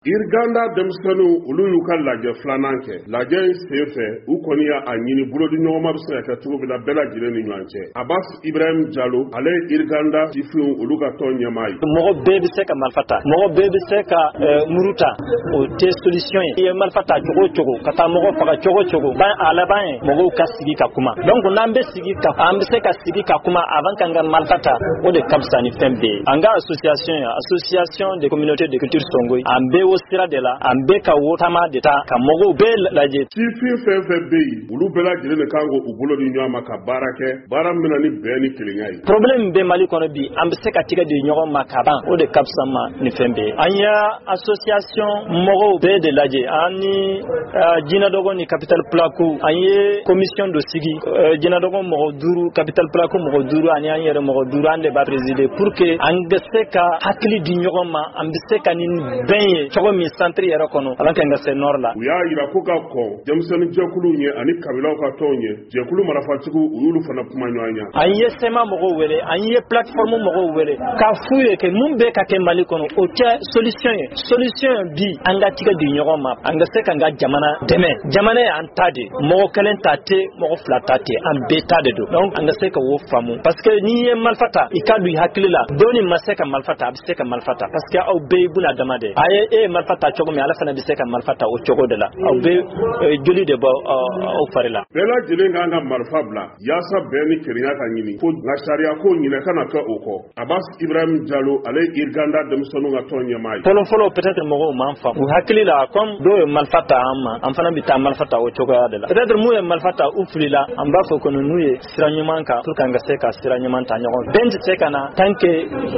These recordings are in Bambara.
Iriganda denmisɛnninw, olu y'u ka lajɛ filanan kɛ. Lajɛ in sen fɛ, u kɔni y'a ɲini bolodi ɲɔgɔnma bɛ se ka kɛ cogo min na bɛɛ lajɛlen ni ɲɔgɔn cɛ. Abbas Ibrahim Jalo, ale ye Iriganda sifinw olu ka tɔn ɲɛmaa ye. Mɔgɔ bɛɛ bɛ se ka marifa ta, mɔgɔ bɛɛ bɛ se ka muru ta, o tɛ solution ye. I ye marifa ta cogo o cogo, ka taa mɔgɔ faga cogo o cogo, ban a laban ye mɔgɔw ka sigi ka kuma. Donc n'an bɛ sigi ka, an bɛ se ka sigi ka kuma avant k'an ka marifa ta, o de ka fisa ni fɛn bɛɛ ye. An ka association ye association des communautés de culture Songoyi, an bɛ o sira de la, an bɛ ka wo taama de ta ka mɔgɔw bɛɛ lajɛ. Sifin fɛn fɛn bɛ yen, olu bɛɛ lajɛlen de kan k'u bolo di ɲɔgɔn ma ka baara kɛ, baara min na ni bɛn ni kelenya ye. Problème bɛ Mali kɔnɔ bi, an bɛ se ka tigɛ di ɲɔgɔn ma ka ban, o de ka fisa ma ni fɛn bɛɛ ye. An y'a association mɔgɔw bɛɛ de lajɛ, an ni Jinɛdɔgɔ ni Capital Pulaku, an ye commission dɔ sigi, Jinɛdɔgɔ mɔgɔ duuru, Capital Pulaku mɔgɔ duuru, ani an yɛrɛ mɔgɔ duuru, an de b'a présider pour que an bɛ se ka hakili di ɲɔgɔn ma, an bɛ se ka nin bɛn ye cogo min centre yɛrɛ kɔnɔ, ala ka se nord la. U y'a yira ko ka kɔn denmisɛnnin jɛkuluw ɲɛ ani kabilaw ka tɔnw ɲɛ, jɛkulu marafatigiw, u y'olu fana kuma ɲɔgɔn ɲɛ. An ye CMA mɔgɔw wele, an ye plateforme mɔgɔw wele k'a f'u ye que mun bɛ ka kɛ Mali kɔnɔ, o tɛ solution ye. Solution ye bi, an ka tigɛ di ɲɔgɔn ma, an ka se k'an ka jamana dɛmɛ. Jamana ye an ta de, mɔgɔ kelen ta tɛ, mɔgɔ fila ta tɛ, an bɛɛ ta de don. Donc an ka se ka o faamu, parce que n'i ye marifa ta, i ka don i hakili la, dɔɔni ma se ka marifa ta, a bɛ se ka marifa ta, parce que aw bɛɛ ye buna dama de. A ye e ye marifa ta cogo min, ala fana bɛ se ka marifa ta o cogo de la. Aw bɛ joli de bɔ aw fari la. Bɛɛ lajɛlen kan ka marifa bila yaasa bɛn ni kelenya ka ɲini ko, nka sariya ko ɲinɛ kana kɛ o kɔ. Abbas Ibrahim Jalo, ale ye Iriganda denmisɛnninw ka tɔn ɲɛmaa ye. Fɔlɔ fɔlɔ, peut-être mɔgɔw m'an faamu u hakili la, comme dɔw ye marifa ta an ma, an fana bɛ taa marifa ta o cogoya de la. Peut-être mun ye marifa ta, u filila, an b'a fɔ ko n'u ye sira ɲuman kan pour que an ka se ka sira ɲuman ta ɲɔgɔn fɛ. Bɛn tɛ se ka na tant que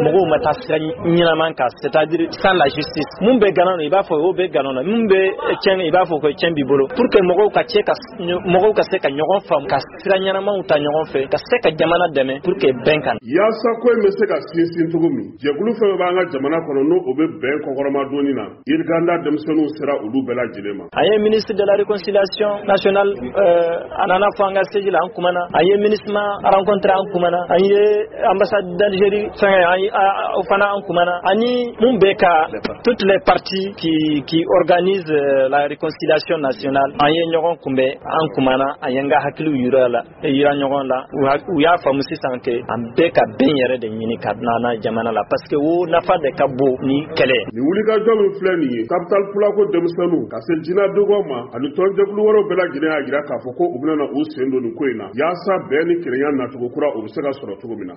mɔgɔw ma taa sira ɲɛnaman kan, c'est-à-dire sans la justice. Mun bɛ gana na, i b'a fɔ o bɛ gana na, mun bɛ tiɲɛ, i b'a fɔ ko tiɲɛ b'i bolo, pour que mɔgɔw ka cɛ ka mɔgɔw ka se ka ɲɔgɔn faamu, ka sira ɲɛnamaw ta ɲɔgɔn fɛ, ka se ka jamana dɛmɛ pour que bɛn ka na. Yaasa ko in bɛ se ka sinsin cogo min, jɛkulu fɛn fɛn b'an ka jamana kɔnɔ, n'o o bɛ bɛn kɔkɔrɔma donni na, Iriganda denmisɛnninw sera olu bɛɛ lajɛlen ma. An ye ministre de la réconciliation nationale, a nana fɔ an ka siège la, an kumana. An ye MINUSMA rencontré, an kumana. An ye ambassade d'Algérie fɛngɛ, an o fana an kumana, ani mun bɛ ka toutes les parties qui organisent la réconciliation nationale, an ye ɲɔgɔn kunbɛn, an kumana, an ye n ka hakiliw yira la, yira ɲɔgɔn la. U y'a faamu sisan que an bɛɛ ka bɛn yɛrɛ de ɲini ka na jamana la, parce que o nafa de ka bon ni kɛlɛ. Nin wulikajɔ min filɛ nin ye, Capital Pulako denmisɛnninw ka se Jinɛdɔgɔ ma ani tɔnjɛkulu wɛrɛw bɛɛ lajɛlen y'a jira k'a fɔ ko u bɛna u sen don nin ko in na yaasa bɛn ni kelenya nacogo kura, o bɛ se ka sɔrɔ cogo min na.